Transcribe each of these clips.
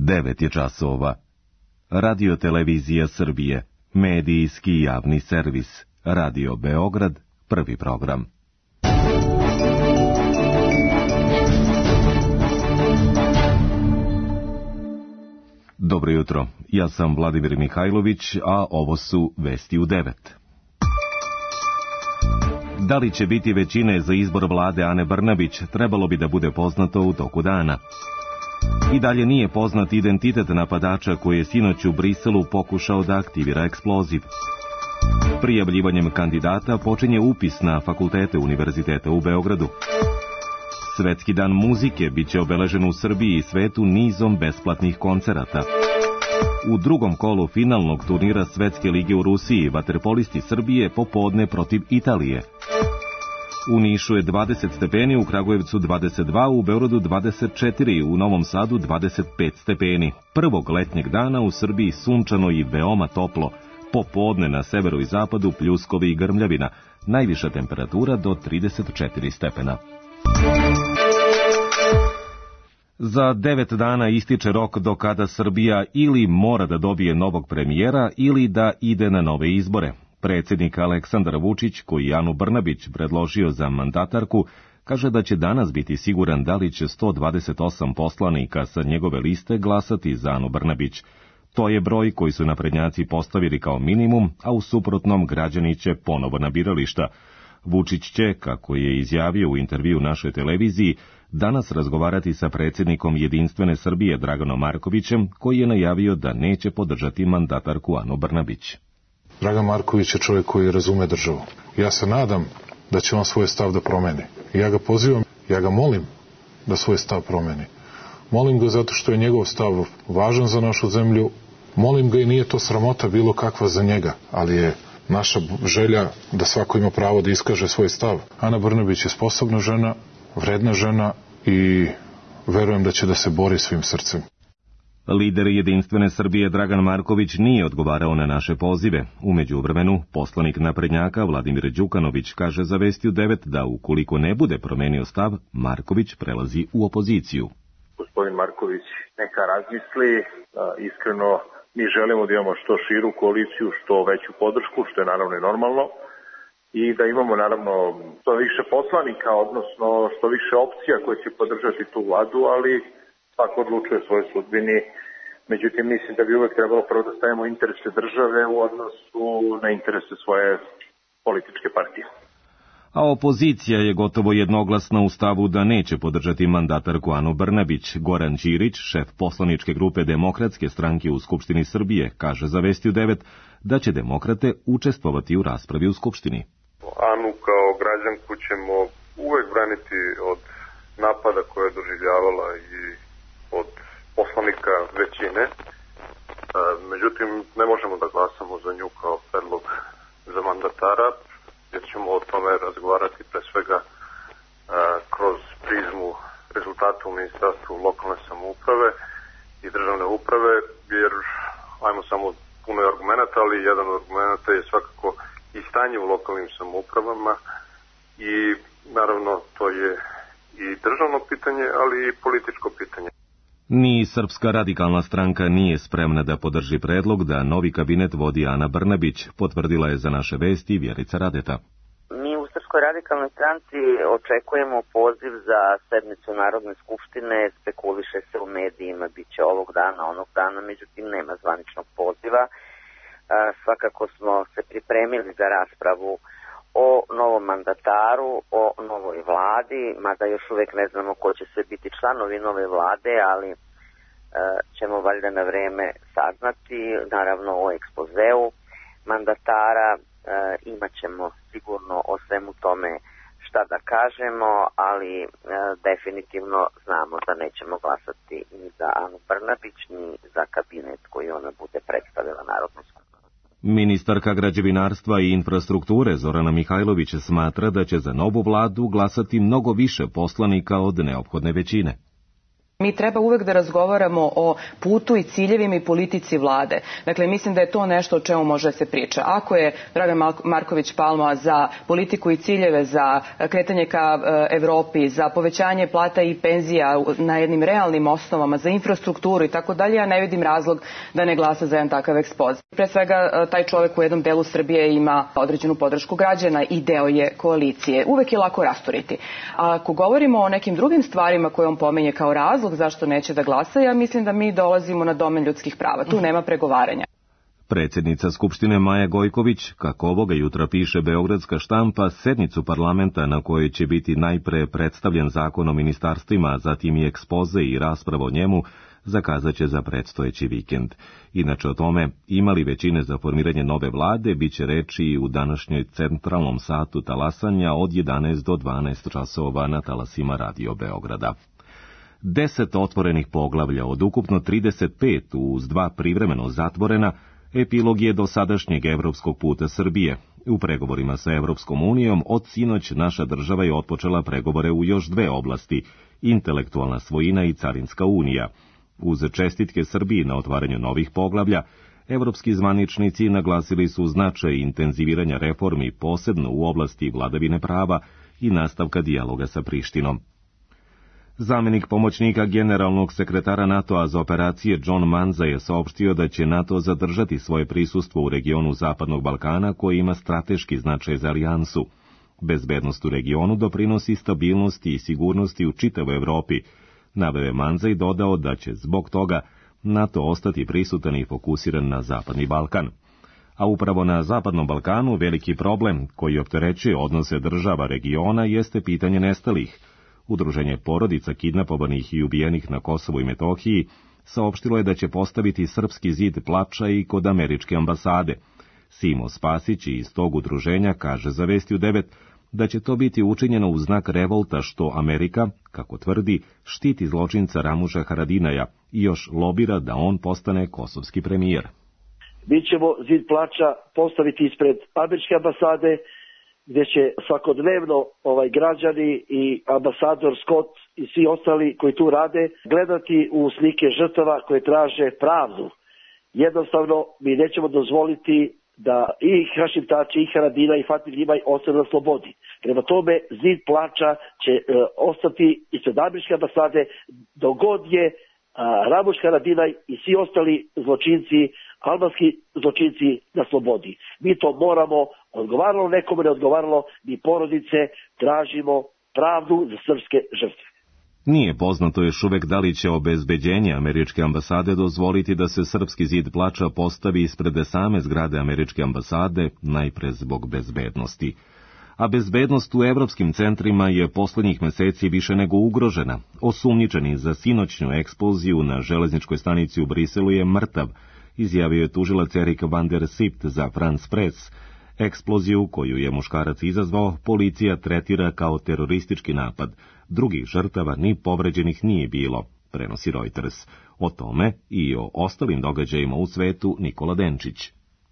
9 je časova. Radio Televizija Srbije, medijski javni servis. Radio Beograd, prvi program. Dobro jutro, ja sam Vladimir Mihajlović, a ovo su vesti u 9. Da li će biti većine za izbor vlade Ane Brnabić, trebalo bi da bude poznato u toku dana. I dalje nije poznat identitet napadača koji je sinoć u Briselu pokušao da aktivira eksploziv. Prijavljivanjem kandidata počinje upis na fakultete Univerziteta u Beogradu. Svetski dan muzike biće obeležen u Srbiji i svetu nizom besplatnih koncerata. U drugom kolu finalnog turnira Svetske lige u Rusiji vaterpolisti Srbije popodne protiv Italije. U Nišu je 20 stepeni, u Kragujevcu 22, u Beogradu 24, u Novom Sadu 25 stepeni. Prvog letnjeg dana u Srbiji sunčano i veoma toplo. Popodne na severu i zapadu pljuskovi i grmljavina. Najviša temperatura do 34 stepena. Za 9 dana ističe rok do kada Srbija ili mora da dobije novog premijera ili da ide na nove izbore. Predsjednik Aleksandar Vučić, koji je Anu Brnabić predložio za mandatarku, kaže da će danas biti siguran da li će 128 poslanika sa njegove liste glasati za Anu Brnabić. To je broj koji su naprednjaci postavili kao minimum, a u suprotnom građani će ponovo na birališta. Vučić će, kako je izjavio u intervju našoj televiziji, danas razgovarati sa predsjednikom Jedinstvene Srbije Draganom Markovićem, koji je najavio da neće podržati mandatarku Anu Brnabić. Dragan Marković je čovjek koji razume državu. Ja se nadam da će on svoj stav da promeni. Ja ga pozivam, ja ga molim da svoj stav promeni. Molim ga zato što je njegov stav važan za našu zemlju. Molim ga i nije to sramota bilo kakva za njega, ali je naša želja da svako ima pravo da iskaže svoj stav. Ana Brnabić je sposobna žena, vredna žena i verujem da će da se bori svim srcem. Lider Jedinstvene Srbije Dragan Marković nije odgovarao na naše pozive. U međuvremenu, poslanik naprednjaka Vladimir Đukanović kaže za Vesti u 9 da ukoliko ne bude promenio stav, Marković prelazi u opoziciju. Gospodin Marković neka razmisli, iskreno mi želimo da imamo što širu koaliciju, što veću podršku, što je naravno i normalno, i da imamo naravno što više poslanika, odnosno što više opcija koje će podržati tu vladu, ali svako odlučuje svoje sudbini. Međutim, mislim da bi uvek trebalo prvo da stavimo interese države u odnosu na interese svoje političke partije. A opozicija je gotovo jednoglasna u stavu da neće podržati mandatarku Anu Brnabić. Goran Ćirić, šef poslaničke grupe Demokratske stranke u Skupštini Srbije, kaže za Vesti u 9 da će demokrate učestvovati u raspravi u Skupštini. Anu kao građanku ćemo uvek braniti od napada koje je doživljavala i od poslanika većine. Međutim, ne možemo da glasamo za nju kao predlog za mandatara, jer ćemo o tome razgovarati pre svega kroz prizmu rezultata u Ministarstvu lokalne samouprave i državne uprave, jer ajmo samo puno argumenta, ali jedan od argumenta je svakako i stanje u lokalnim samoupravama i naravno to je i državno pitanje, ali i političko pitanje. Ni Srpska radikalna stranka nije spremna da podrži predlog da novi kabinet vodi Ana Brnabić, potvrdila je za naše Vesti Vjerica Radeta. Mi u Srpskoj radikalnoj stranci očekujemo poziv za sednicu Narodne skupštine, spekuliše se u medijima, bit će ovog dana, onog dana, međutim nema zvaničnog poziva. Svakako smo se pripremili za raspravu o novom mandataru, o novoj vladi, mada još uvijek ne znamo ko će sve biti članovi nove vlade, ali ćemo valjda na vreme saznati, naravno o ekspozeu mandatara, imat ćemo sigurno o svemu tome šta da kažemo, ali definitivno znamo da nećemo glasati ni za Anu Brnabić, ni za kabinet koji ona bude predstavila Narodnoj skupštini. Ministarka građevinarstva i infrastrukture Zorana Mihajlović smatra da će za novu vladu glasati mnogo više poslanika od neophodne većine. Mi treba uvek da razgovaramo o putu i ciljevima i politici vlade. Dakle, mislim da je to nešto o čemu može da se priča. Ako je Dragan Marković Palma za politiku i ciljeve, za kretanje ka Evropi, za povećanje plata i penzija na jednim realnim osnovama, za infrastrukturu i tako dalje, ja ne vidim razlog da ne glasa za jedan takav ekspoze. Pre svega, taj čovek u jednom delu Srbije ima određenu podršku građana i deo je koalicije. Uvek je lako rasturiti. A ako govorimo o nekim drugim stvarima koje on pomenje kao razlog zašto neće da glasa, ja mislim da mi dolazimo na domen ljudskih prava. Tu nema pregovaranja. Predsjednica Skupštine Maja Gojković, kako ovoga jutra piše Beogradska štampa, sednicu parlamenta na kojoj će biti najpre predstavljen zakon o ministarstvima, a zatim i ekspoze i rasprava o njemu, zakazat će za predstojeći vikend. Inače o tome, imali većine za formiranje nove vlade, bit će reči i u današnjoj centralnom satu talasanja od 11 do 12 časova na talasima Radio Beograda. 10 otvorenih poglavlja od ukupno 35 uz 2 privremeno zatvorena, epilog je dosadašnjeg evropskog puta Srbije. U pregovorima sa Evropskom unijom od sinoć naša država je otpočela pregovore u još 2 oblasti, intelektualna svojina i carinska unija. Uz čestitke Srbiji na otvaranju novih poglavlja, evropski zvaničnici naglasili su značaj intenziviranja reformi posebno u oblasti vladavine prava i nastavka dijaloga sa Prištinom. Zamenik pomoćnika generalnog sekretara NATO-a za operacije John Manza je saopštio da će NATO zadržati svoje prisustvo u regionu Zapadnog Balkana koji ima strateški značaj za alijansu. Bezbednost u regionu doprinosi stabilnosti i sigurnosti u čitavoj Evropi. Naveo je Manza i dodao da će zbog toga NATO ostati prisutan i fokusiran na Zapadni Balkan. A upravo na Zapadnom Balkanu veliki problem koji opterećuje odnose država regiona jeste pitanje nestalih. Udruženje porodica kidnapovanih i ubijenih na Kosovu i Metohiji saopštilo je da će postaviti srpski zid plača i kod američke ambasade. Simo Spasić iz tog udruženja kaže za Vesti u 9 da će to biti učinjeno u znak revolta što Amerika, kako tvrdi, štiti zločinca Ramuša Haradinaja i još lobira da on postane kosovski premijer. Mi ćemo zid plača postaviti ispred američke ambasade, gdje će svakodnevno građani i ambasador Scott i svi ostali koji tu rade gledati u slike žrtava koje traže pravdu. Jednostavno, mi nećemo dozvoliti da i Hašim Tači, i Haradina, i Fatih Limaj ostane na slobodi. Prema tome, zid plača će ostati ispred američke ambasade dok god je Ramuš Haradinaj i svi ostali zločinci, albanski zločinci na slobodi. Mi to moramo, odgovaralo nekome, ne odgovaralo, mi porodice tražimo pravdu za srpske žrtve. Nije poznato još uvek da li će obezbeđenje američke ambasade dozvoliti da se srpski zid plača postavi ispred same zgrade američke ambasade, najpre zbog bezbednosti. A bezbednost u evropskim centrima je poslednjih meseci više nego ugrožena. Osumnjičeni za sinoćnju eksploziju na železničkoj stanici u Briselu je mrtav, izjavio je tužilac Erik van der Sipt za France Press. Eksploziju, koju je muškarac izazvao, policija tretira kao teroristički napad. Drugih žrtava ni povređenih nije bilo, prenosi Reuters. O tome i o ostalim događajima u svetu Nikola Denčić.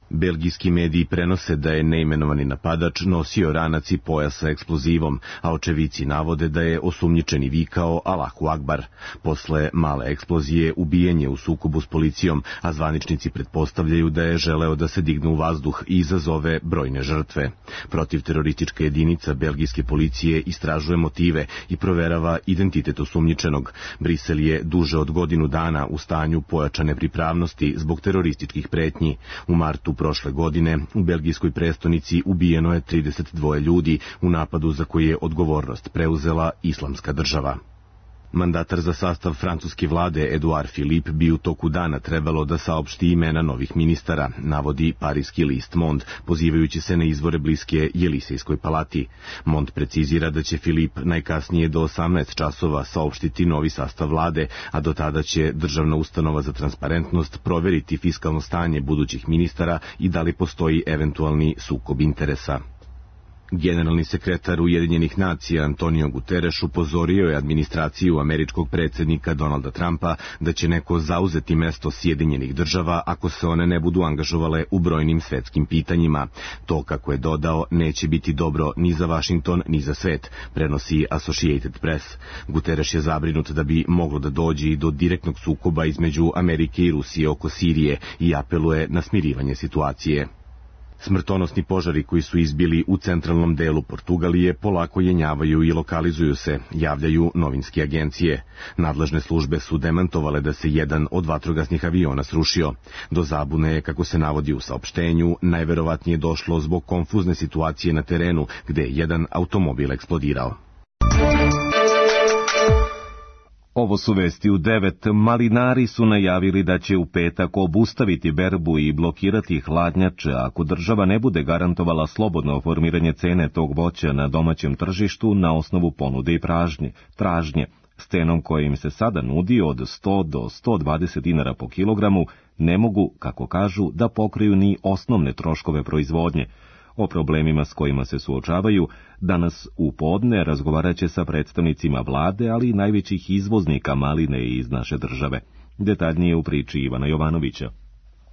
Belgijski mediji prenose da je neimenovani napadač nosio ranac i pojas sa eksplozivom, a očevici navode da je osumnjičeni vikao Allahu Akbar. Posle male eksplozije ubijen je u sukobu s policijom, a zvaničnici pretpostavljaju da je želeo da se digne u vazduh i izazove brojne žrtve. Protivteroristička jedinica belgijske policije istražuje motive i proverava identitet osumnjičenog. Brisel je duže od godinu dana u stanju pojačane pripravnosti zbog terorističkih pretnji. U martu prošle godine u belgijskoj prestonici ubijeno je 32 ljudi u napadu za koji je odgovornost preuzela Islamska država. Mandatar za sastav francuske vlade Edouard Philippe bi u toku dana trebalo da saopšti imena novih ministara, navodi parijski list Monde, pozivajući se na izvore bliske Jelisejskoj palati. Monde precizira da će Philippe najkasnije do 18 časova saopštiti novi sastav vlade, a do tada će Državna ustanova za transparentnost proveriti fiskalno stanje budućih ministara i da li postoji eventualni sukob interesa. Generalni sekretar Ujedinjenih nacija Antonio Guterres upozorio je administraciju američkog predsjednika Donalda Trumpa da će neko zauzeti mesto Sjedinjenih država ako se one ne budu angažovale u brojnim svetskim pitanjima. To, kako je dodao, neće biti dobro ni za Vašington ni za svet, prenosi Associated Press. Guterres je zabrinut da bi moglo da dođe i do direktnog sukoba između Amerike i Rusije oko Sirije i apeluje na smirivanje situacije. Smrtonosni požari koji su izbili u centralnom delu Portugalije polako jenjavaju i lokalizuju se, javljaju novinske agencije. Nadležne službe su demantovale da se jedan od vatrogasnih aviona srušio. Do zabune je, kako se navodi u saopštenju, najverovatnije došlo zbog konfuzne situacije na terenu, gde je jedan automobil eksplodirao. Ovo su vesti u 9. Malinari su najavili da će u petak obustaviti berbu i blokirati hladnjače ako država ne bude garantovala slobodno formiranje cene tog voća na domaćem tržištu na osnovu ponude i tražnje. S cenom koja im se sada nudi od 100 do 120 dinara po kilogramu ne mogu, kako kažu, da pokriju ni osnovne troškove proizvodnje. O problemima s kojima se suočavaju danas u podne razgovarat će sa predstavnicima vlade, ali i najvećih izvoznika maline iz naše države. Detaljnije u priči Ivana Jovanovića.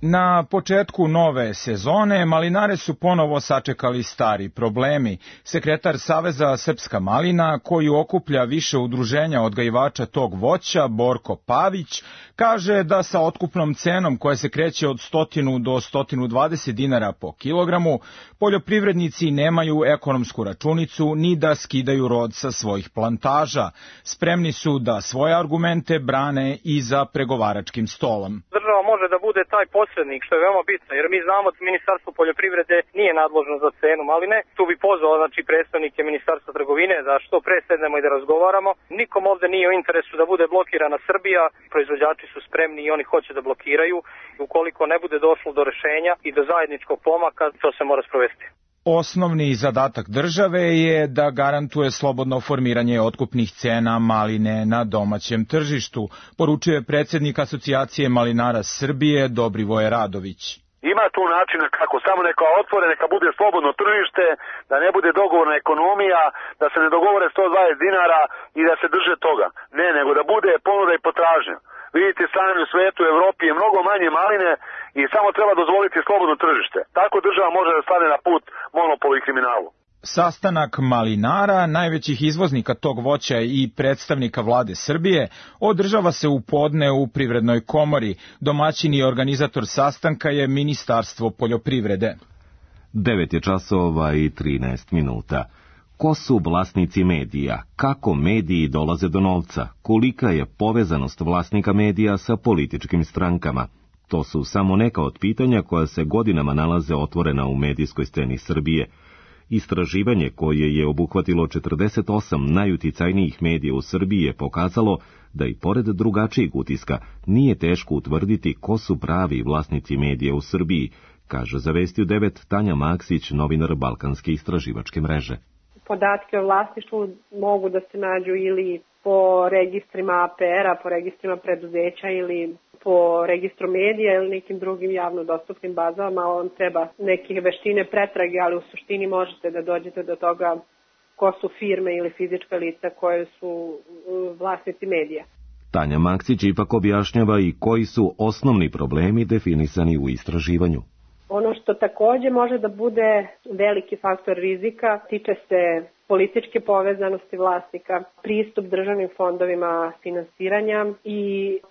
Na početku nove sezone malinare su ponovo sačekali stari problemi. Sekretar Saveza Srpska malina, koji okuplja više udruženja odgajivača tog voća, Borko Pavić, kaže da sa otkupnom cenom koja se kreće od 100 do 120 dinara po kilogramu, poljoprivrednici nemaju ekonomsku računicu ni da skidaju rod sa svojih plantaža. Spremni su da svoje argumente brane i za pregovaračkim stolom. Država može da bude taj posrednik, što je veoma bitno, jer mi znamo da Ministarstvo poljoprivrede nije nadležno za cenu maline. Tu bi pozvao predstavnike Ministarstva trgovine da što pre sednemo i da razgovaramo. Nikom ovde nije u interesu da bude blokirana Srbija, proizvođači su spremni i oni hoće da blokiraju. Ukoliko ne bude došlo do rešenja i do zajedničkog pomaka, to se mora sprovesti. Osnovni zadatak države je da garantuje slobodno formiranje otkupnih cena maline na domaćem tržištu, poručuje predsjednik Asocijacije malinara Srbije Dobrivoje Radović. Ima tu načina kako, samo neka otvore, neka bude slobodno tržište, da ne bude dogovorna ekonomija, da se ne dogovore 120 dinara i da se drže toga. Ne, nego da bude ponuda i potražnja. Vidite, sami u svetu, u Evropi je mnogo manje maline i samo treba dozvoliti slobodno tržište. Tako država može da stane na put monopolu i kriminalu. Sastanak malinara, najvećih izvoznika tog voća i predstavnika vlade Srbije, održava se u podne u Privrednoj komori. Domaćin i organizator sastanka je Ministarstvo poljoprivrede. 9 je časova i 13 minuta. Ko su vlasnici medija? Kako mediji dolaze do novca? Kolika je povezanost vlasnika medija sa političkim strankama? To su samo neka od pitanja koja se godinama nalaze otvorena u medijskoj sceni Srbije. Istraživanje koje je obuhvatilo 48 najuticajnijih medija u Srbiji je pokazalo da i pored drugačijeg utiska nije teško utvrditi ko su pravi vlasnici medija u Srbiji, kaže za Vesti u 9 Tanja Maksić, novinar Balkanske istraživačke mreže. Podatke o vlasništvu mogu da se nađu ili po registrima APR-a, po registrima preduzeća ili po registru medija ili nekim drugim javno dostupnim bazama. On treba neke veštine pretrage, ali u suštini možete da dođete do toga ko su firme ili fizička lica koje su vlasnici medija. Tanja Maksić ipak objašnjava i koji su osnovni problemi definisani u istraživanju. Ono što takođe može da bude veliki faktor rizika tiče se političke povezanosti vlasnika, pristup državnim fondovima finansiranja i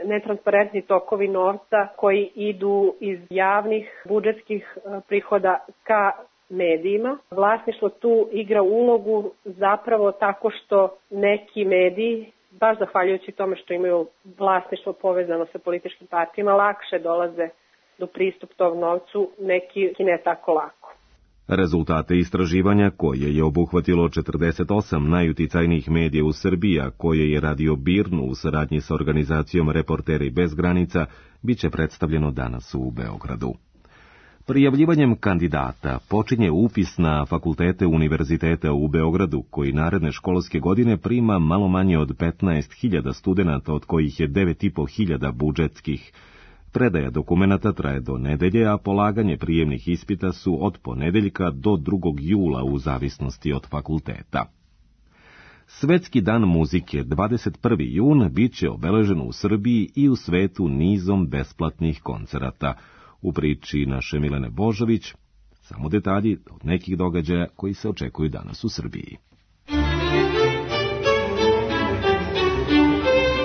netransparentni tokovi novca koji idu iz javnih budžetskih prihoda ka medijima. Vlasništvo tu igra ulogu zapravo tako što neki mediji, baš zahvaljujući tome što imaju vlasništvo povezano sa političkim partijama, lakše dolaze do pristup tog novcu, neki ne tako lako. Rezultate istraživanja, koje je obuhvatilo 48 najuticajnijih medija u Srbiji, a koje je radio BIRN u saradnji sa organizacijom Reporteri bez granica, bit će predstavljeno danas u Beogradu. Prijavljivanjem kandidata počinje upis na fakultete univerziteta u Beogradu, koji naredne školske godine prima malo manje od 15.000 studenata, od kojih je 9.500 budžetskih. Predaja dokumenata traje do nedelje, a polaganje prijemnih ispita su od ponedeljka do 2. jula u zavisnosti od fakulteta. Svetski dan muzike 21. jun bit će obeležen u Srbiji i u svetu nizom besplatnih koncerata. U priči naše Milene Božović, samo detalji od nekih događaja koji se očekuju danas u Srbiji.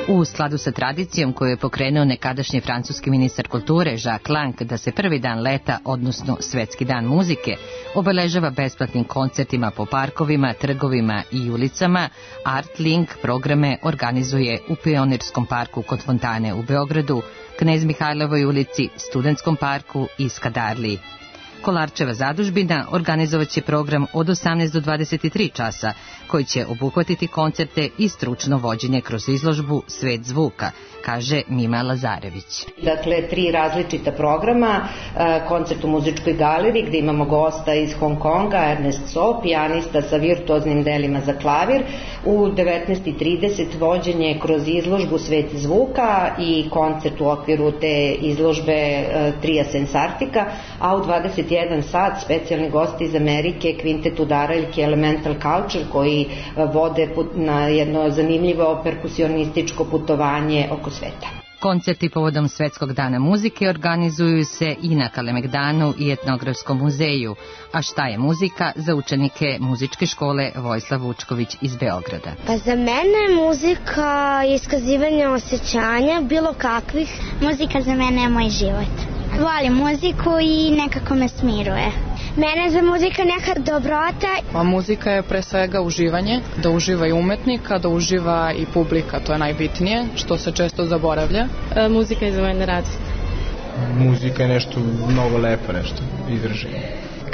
U skladu sa tradicijom koju je pokrenuo nekadašnji francuski ministar kulture Jacques Lang da se prvi dan leta, odnosno Svetski dan muzike, obeležava besplatnim koncertima po parkovima, trgovima i ulicama, Art Link programe organizuje u Pionirskom parku kod Fontane u Beogradu, Knez Mihajlovoj ulici, Studentskom parku i Skadarliji. Kolarčeva zadužbina organizovaće program od 18 do 23 časa, koji će obuhvatiti koncerte i stručno vođenje kroz izložbu Svet zvuka, kaže Mima Lazarević. Dakle, 3 različita programa, koncert u muzičkoj galeriji gdje imamo gosta iz Hong Konga, Ernest So, pijanista sa virtuoznim delima za klavir, u 19:30 vođenje kroz izložbu Svet zvuka i koncert u okviru te izložbe Tria Sensartika, a u 21 sat specijalni gosti iz Amerike, Kvintet Udaraljke Elemental Culture, koji vode na jedno zanimljivo perkusionističko putovanje oko sveta. Koncerti povodom Svetskog dana muzike organizuju se i na Kalemegdanu i Etnografskom muzeju. A šta je muzika za učenike muzičke škole Vojislav Vučković iz Beograda? Pa za mene muzika je iskazivanje osjećanja, bilo kakvih. Muzika za mene je moj život. Volim muziku i nekako me smiruje. Mene za muzika neka dobrota. A muzika je pre svega uživanje, da uživa i umetnik, a da uživa i publika, to je najbitnije, što se često zaboravlja. Muzika je za mene radost. Muzika je nešto mnogo lepo, nešto izraženje.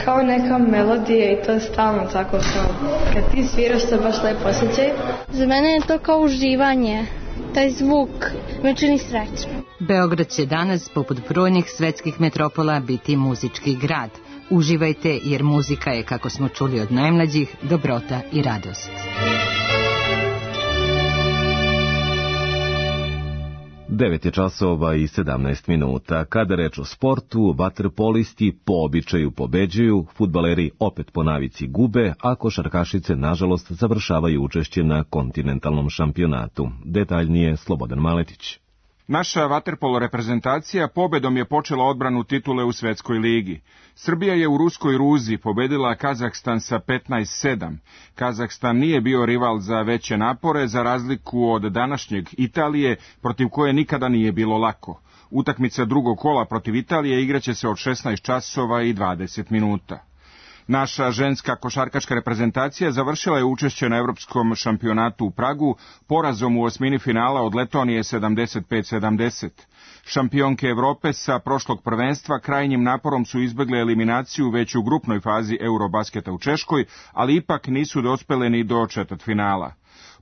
Kao neka melodija i to je stalno tako kao kad ti sviraš se baš lepo osjećaj. Za mene je to kao uživanje. Taj zvuk me čini srećno. Beograd će danas, poput brojnih svetskih metropola, biti muzički grad. Uživajte, jer muzika je, kako smo čuli od najmlađih, dobrota i radost. 9 je časova i 17 minuta. Kada reč o sportu, vaterpolisti po običaju pobeđuju, fudbaleri opet po navici gube, a košarkašice, nažalost, završavaju učešće na kontinentalnom šampionatu. Detaljnije Slobodan Maletić. Naša vaterpolo reprezentacija pobedom je počela odbranu titule u Svetskoj ligi. Srbija je u ruskoj Ruzi pobedila Kazahstan sa 15:7. Kazahstan nije bio rival za veće napore, za razliku od današnjeg Italije, protiv koje nikada nije bilo lako. Utakmica drugog kola protiv Italije igraće se od 16 časova i 20 minuta. Naša ženska košarkaška reprezentacija završila je učešće na Evropskom šampionatu u Pragu porazom u osmini finala od Letonije 75-70. Šampionke Evrope sa prošlog prvenstva krajnjim naporom su izbegle eliminaciju već u grupnoj fazi Eurobasketa u Češkoj, ali ipak nisu dospele ni do četvrtfinala.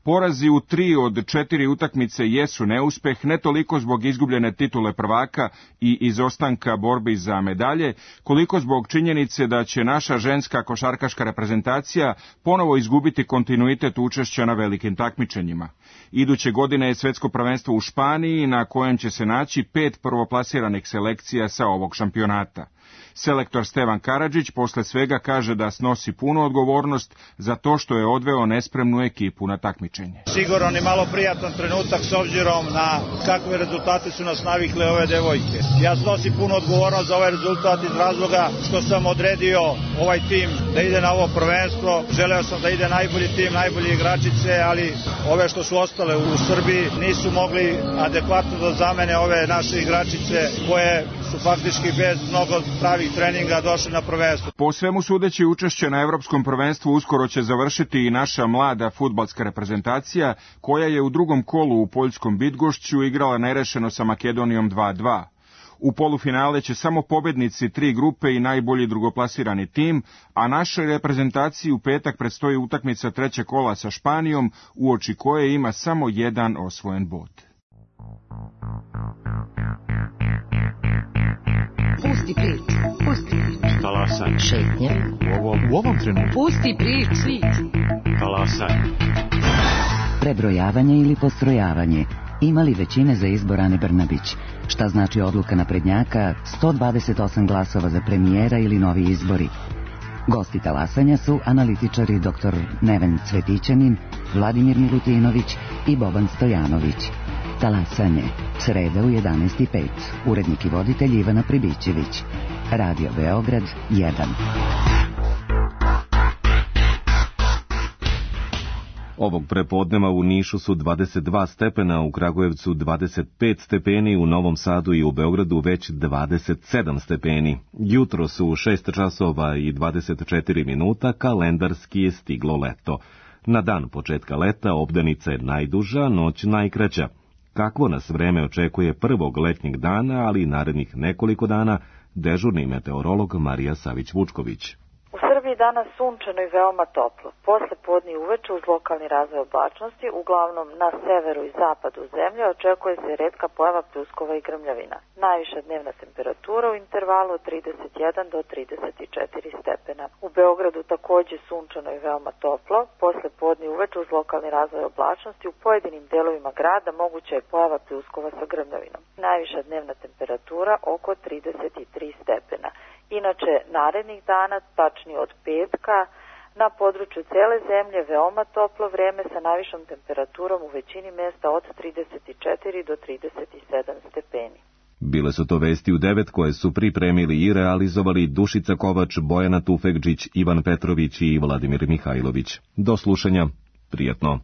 Porazi u 3 od 4 utakmice jesu neuspeh, ne toliko zbog izgubljene titule prvaka i izostanka borbi za medalje, koliko zbog činjenice da će naša ženska košarkaška reprezentacija ponovo izgubiti kontinuitet učešća na velikim takmičenjima. Iduće godine je svetsko prvenstvo u Španiji, na kojem će se naći 5 prvoplasiranih selekcija sa ovog šampionata. Selektor Stevan Karadžić posle svega kaže da snosi punu odgovornost za to što je odveo nespremnu ekipu na takmičenje. Sigurno ni malo prijatan trenutak s obzirom na kakve rezultate su nas navikle ove devojke. Ja snosim punu odgovornost za ovaj rezultat iz razloga što sam odredio ovaj tim da ide na ovo prvenstvo. Želeo sam da ide najbolji tim, najbolje igračice, ali ove što su ostale u Srbiji nisu mogli adekvatno da zamene ove naše igračice koje su faktički bez mnogo pravih treninga došli na prvenstvo. Po svemu sudeći, učešće na Evropskom prvenstvu uskoro će završiti i naša mlada fudbalska reprezentacija, koja je u drugom kolu u poljskom Bydgošću igrala nerešeno sa Makedonijom 2:2. U polufinale će samo pobednici 3 grupe i najbolji drugoplasirani tim, a našoj reprezentaciji u petak predstoji utakmica trećeg kola sa Španijom, uoči koje ima samo jedan osvojen bod. Pusti priču, pusti priču. Talasaj. Šetnje. U ovom trenutku. Pusti priču. Talasaj. Prebrojavanje ili postrojavanje. Imali većine za izbor Ane Brnabić? Šta znači odluka naprednjaka, 128 glasova za premijera ili novi izbori? Gosti talasanja su analitičari dr. Neven Cvetićanin, Vladimir Milutinović i Boban Stojanović. Talasanje, sreda u 11:05. Urednik i voditelj Ivana Pribićević. Radio Beograd 1. Ovog prepodneva u Nišu su 22 stepena, u Kragujevcu 25 stepeni, u Novom Sadu i u Beogradu već 27 stepeni. Jutro su 6 časova i 24 minuta, kalendarski je stiglo leto. Na dan početka leta obdanica je najduža, noć najkraća. Kakvo nas vreme očekuje prvog letnjeg dana, ali i narednih nekoliko dana, dežurni meteorolog Marija Savić-Vučković. U Srbiji danas sunčano i veoma toplo. Posle podne i uveče uz lokalni razvoj oblačnosti, uglavnom na severu i zapadu zemlje, očekuje se retka pojava pljuskova i grmljavina. Najviša dnevna temperatura u intervalu od 31 do 34 stepena. U Beogradu takođe sunčano i veoma toplo. Posle podne i uveče uz lokalni razvoj oblačnosti, u pojedinim delovima grada moguća je pojava pljuskova sa grmljavinom. Najviša dnevna temperatura oko 33 stepena. Inače, narednih dana, tačnije od petka, na području cele zemlje veoma toplo vreme sa najvišom temperaturom u većini mesta od 34 do 37 stepeni. Bile su to vesti u 9 koje su pripremili i realizovali Dušica Kovač, Bojana Tufekđić, Ivan Petrović i Vladimir Mihajlović. Do slušanja, prijatno.